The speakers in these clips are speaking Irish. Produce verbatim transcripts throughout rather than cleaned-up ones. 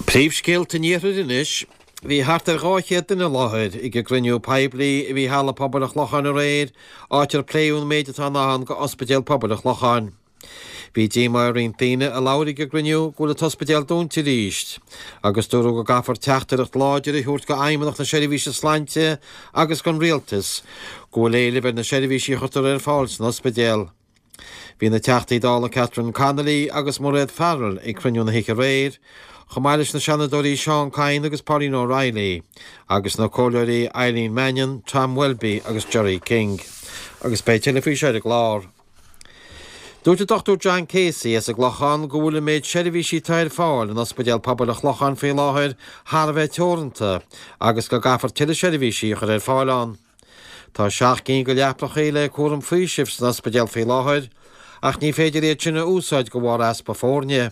Príomhscéalta an Iarthair anois. Bhí thart ar dhá chéad duine i láthair ag an gcruinniú poiblí a bhí i Halla Pobail an Chlocháin aréir, áit ar pléadh an méid atá i ndán go Ospidéal Pobail an Chlocháin. Bhí díomá ar roinnt daoine a labhair ag an gcruinniú go bhfuil an t-ospidéal dúnta arís, agus dúradh go gcaithfear teachtaireacht láidir a thabhairt go Fheidhmeannacht na Seirbhíse Sláinte agus don Rialtas go bhfuil éileamh ar na seirbhísí a chuirtear ar fáil san ospidéal. Bhí na Teachtaí Dála Catherine Connolly agus Mairéad Farrell ag cruinniú na hoíche aréir, chomh maith leis na Seanadóirí Seán Kyne agus Pauline O'Reilly, agus na Comhairleoirí Eileen Mannion, Tom Welby agus Gerry King. Agus beidh tuilleadh faoi seo ar an gclár. Dúirt an Dochtúir John Casey as an gClochán go bhfuil an méid seirbhísí atá ar fáil in Ospidéal Pobail an Chlocháin faoi láthair thar a bheith teoranta agus go gcaithfear tuilleadh seirbhísí a chur ar fáil ann. Tá seacht gcinn de leapacha le cúram faoisimh san ospidéal faoi láthair, ach ní féidir iad sin a úsáid de bharr easpa foirne.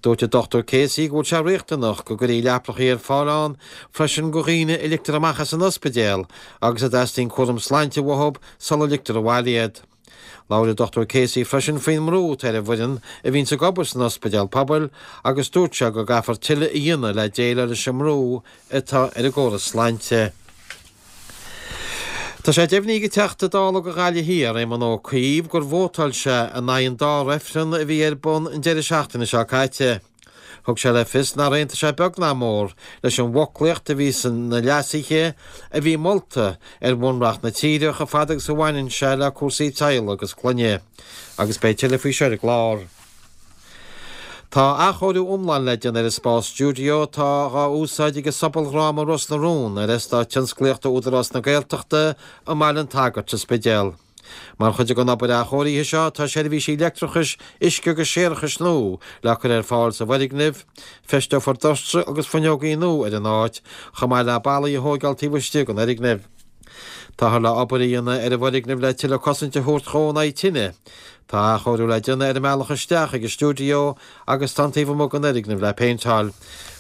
Dúirt an Dochtúir Casey go bhfuil sé riachtanach go gcuirfí leapacha ar fáil ann freisin do dhaoine a ligtear amach as an ospidéal agus a dteastaíonn cúram sláinte uathu sula ligtear abhaile iad. Labhair an Dochtúir Casey freisin faoin mbrú atá ar an bhfoireann a bhíonns ag obair san ospidéal pobail agus dúirt sé go gcaithfear tuilleadh a dhéanamh le déileáil leis an mbrú atá ar an gcóras sláinte. Tá sé deimhnithe ag an Teachta Dála do Ghaillimh Thiar, Éamon Ó Cuív, gur vótáil sé in aghaidh an dá reifreann a bhí ar bun an deireadh seachtaine seo caite. Thug sé le fios nár aontaigh sé beag ná mór leis an bhfoclaíocht a bhí sna leasuithe a bhí molta ar bhunreacht na tíre chomh fada agus a bhaineann sé le cúrsaí teaghlaigh agus clainne. Agus beidh tuilleadh faoi seo ar an gclár. Tá athchóiriú iomlán le déanamh ar an spás stiúideo atá dhá úsáid ag an sobaldhráma Ros na Rún ar eastát tionsclaíochta Údarás na Gaeltachta i mBaile an tSagairt sa Spidéal. Mar chuid den obair athchóirithe seo tá seirbhísí leictreachais, uisce agus séarachais nua le cur ar fáil sa bhfoirgneamh, feisteofar doirse agus fuinneogaí nua ar an áit, chomh maith le ballaí a thóigeáil taobh istigh den fhoirgneamh. Táthar le obair a dhéanamh ar an bhfoirgneamh le tuilleadh cosaint a thabhairt dhó in aghaidh tine. Tá athchóiriú le déanamh ar an mbealach isteach ag an stiúideo agus tá an taobh amuigh den fhoirgneamh le péinteáil.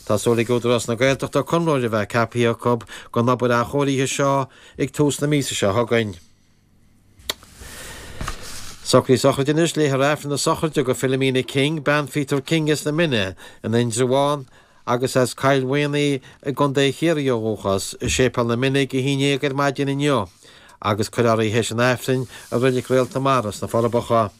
Tá súil ag Údarás na Gaeltachta conraitheoir a bheith ceaptha acu don obair athchóirithe seo ag tús na míosa seo chugainn. Socruithe sochraide anois, léifear Aifreann na sochraide do Philomena King, bean Pheter King as na Mine in Indreabhán, agus as Cill Mhaonaigh i gContae Chiarraí ó dhúchas, i Séipéal na Mine ag a haon déag ar maidin inniu agus cuirfear í théis an Aifrinn i Reilig Réalt na Mara sna Forbacha.